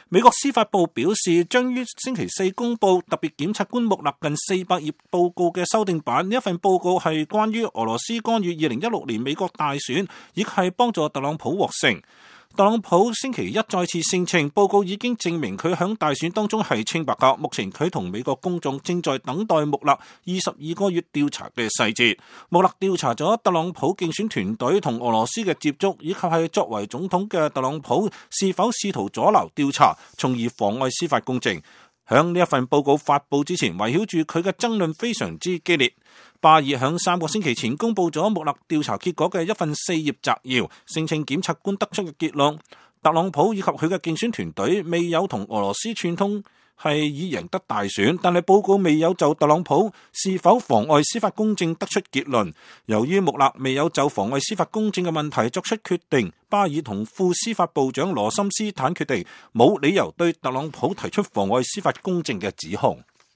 美國司法部表示，將於星期四公布特別檢察官穆勒近400頁報告嘅修訂版。呢一份報告係關於俄羅斯干預2016年美國大選，亦係幫助特朗普獲勝。特朗普星期一再次聲稱，報告已經證明佢響大選當中係清白㗎。目前佢同美國公眾正在等待穆勒22個月調查嘅細節。穆勒調查咗特朗普競選團隊同俄羅斯嘅接觸，以及係作為總統嘅特朗普是否試圖阻撓調查，從而妨礙司法公正。響呢一份報告發佈之前，圍繞住佢嘅爭論非常之激烈。巴爾響3個星期前公布咗穆勒調查結果嘅一份4頁摘要，聲稱檢察官得出嘅結論，特朗普以及佢嘅競選團隊未有同俄羅斯串通，係以贏得大選，但係報告未有就特朗普是否妨礙司法公正得出結論。由於穆勒未有就妨礙司法公正嘅問題作出決定，巴爾同副司法部長羅森斯坦決定冇理由對特朗普提出妨礙司法公正嘅指控。